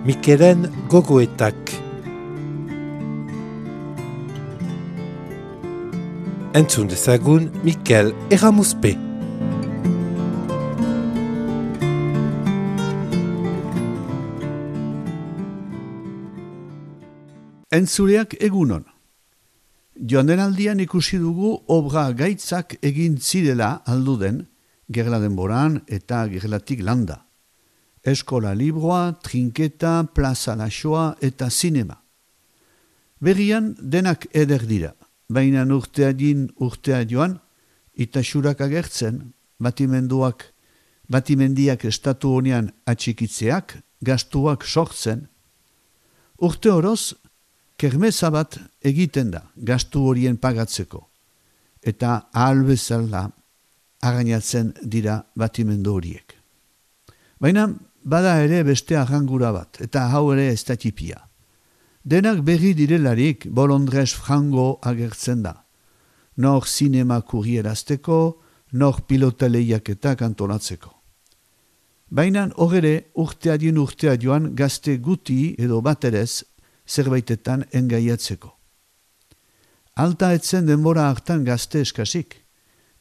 Mikelen gogoetak. Entzun dezagun Mikel Erramuzpe. Entzuleak egunon. Joandenaldian ikusi dugu obra gaitzak egin zirela alduden, gerla denboran eta gerlatik landa. Eskola libroa, trinketa, plaza laxoa eta zinema. Berrian denak eder dira, baina urtea joan, itasurak agertzen, batimendiak estatu honean atxikitzeak, gastuak sortzen. Urte oroz, kermesa bat egiten da gastu horien pagatzeko, eta ahal bezala arrainatzen dira batimendu horiek. Baina bada ere beste arrangura bat, eta hau ere ez da tipia. Denak berri direlarik bolondrez frango agertzen da. Nor zinema kurrierazteko, nor pilota lehiaketak antolatzeko. Baina horre urtea joan gazte guti edo baterez zerbaitetan engaiatzeko. Alta etzen denbora hartan gazte eskasik.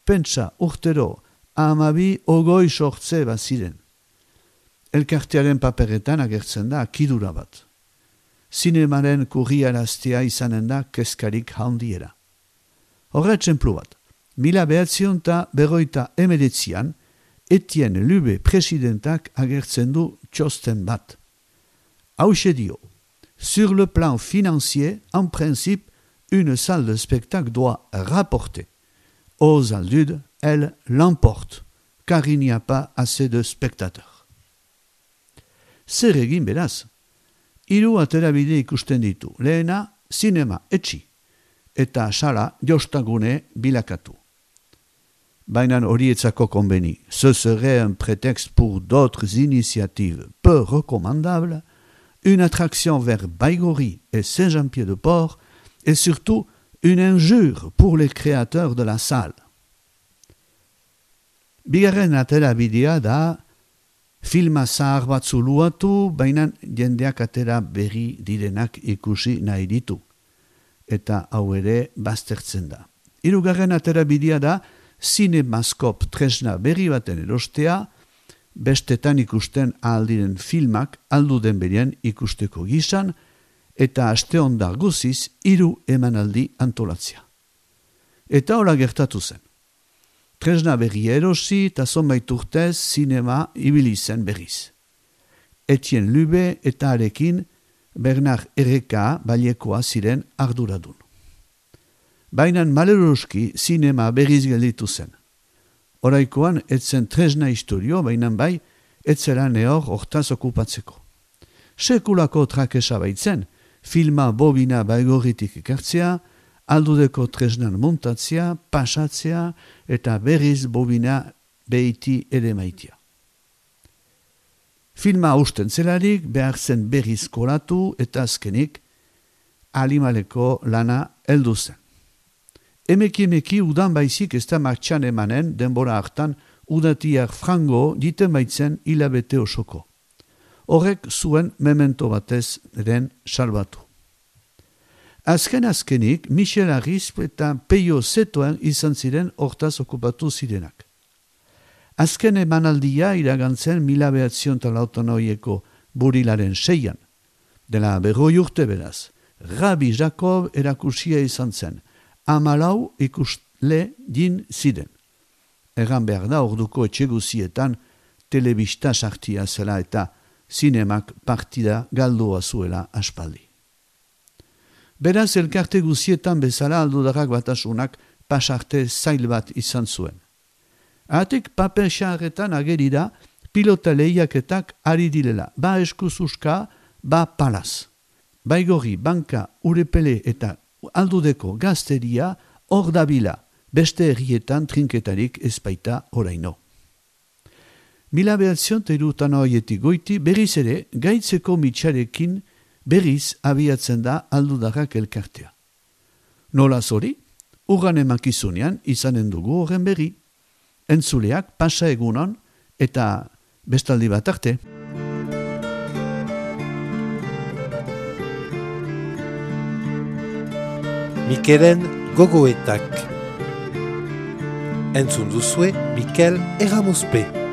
Pentsa urtero 12 sortze baziren. Elkartearen paperetan agertzen da akidura bat. Zinemaren kurriaraztea izanen da keskarik handiera. Horra txemplu bat, 1949an Etienne Lube presidentak agertzen du txosten bat. Hauxe dio, sur le plan financier, en principe, une salle de spectacle doit rapporter. Aux aldudes, elle l'emporte, car il n'y a pas assez de spectateurs. Zer egin beraz? 3 aterabide ikusten ditu. Lehena, zinema etxi, eta sala jostagune bilakatu. Baina horietzako konbeni. Ce serait un prétexte pour d'autres initiatives peu recommandables, une attraction vers Baigorry et Saint-Jean-Pied-de-Port, et surtout une injure pour les créateurs de la salle. Bigarren aterabidea da filma zahar bat zuluatu, baina jendeak atera berri direnak ikusi nahi ditu. Eta hau ere baztertzen da. 3. aterabidea da Cinemaskop tresna berri baten erostea, bestetan ikusten ahaldiren filmak alduden berien ikusteko gizan, eta aste ondar guziz 3 emanaldi antolatzea. Eta hola gertatu zen. Tresna berri erosi eta zonbait urtez zinema ibili zen berriz. Etienne Lube eta arekin Bernard Erreka bailekoa ziren arduradun. Baina maleroski zinema berriz gelditu zen. Oraikoan etzen tresna historio, baina bai etzera nehor hortaz okupatzeko. Sekulako trakesa baitzen, filma bobina Baigorritik ekartzea, aldudeko tresnan montatzea, pasatzea eta berriz bobina behiti ere maitia. Filma usten zelarik behar zen berriz kolatu eta azkenik alimaleko lana heldu zen. Emeki udan baizik ez da martxan emanen denbora hartan udatiak frango diten baitzen hilabete osoko. Horrek zuen memento batez eren salbatu. Azkenik, Michel Arrisp eta Peio Zetoen izan ziren hortaz okupatu zirenak. Azken emanaldia iragantzen 1908ko burilaren 6an. Dela 40 urte beraz, Rabbi Jacob erakusia izan zen, 14 ikusle din ziren. Erran behar da orduko etxeguzietan telebista sartia zela eta zinemak partida galdua zuela aspaldi. Beraz, elkarte guzietan bezala aldudarrak batasunak pasarte zail bat izan zuen. Atek paper xarretan agerira pilota lehiaketak ari direla, ba eskuzuska, ba palaz. Baigorri, banka, urepele eta aldudeko gazteria hor dabila, beste herrietan trinketarik ezpaita oraino. 1903 horietik goiti berriz ere gaitzeko mitxarekin berriz abiatzen da aldudarrak elkartea. Nola zori? Urran emakizunean izanen dugu horren berri. Entzuleak pasa egunon eta bestaldi bat arte. Mikelen gogoetak. Entzun duzue Mikel Erramuzpe.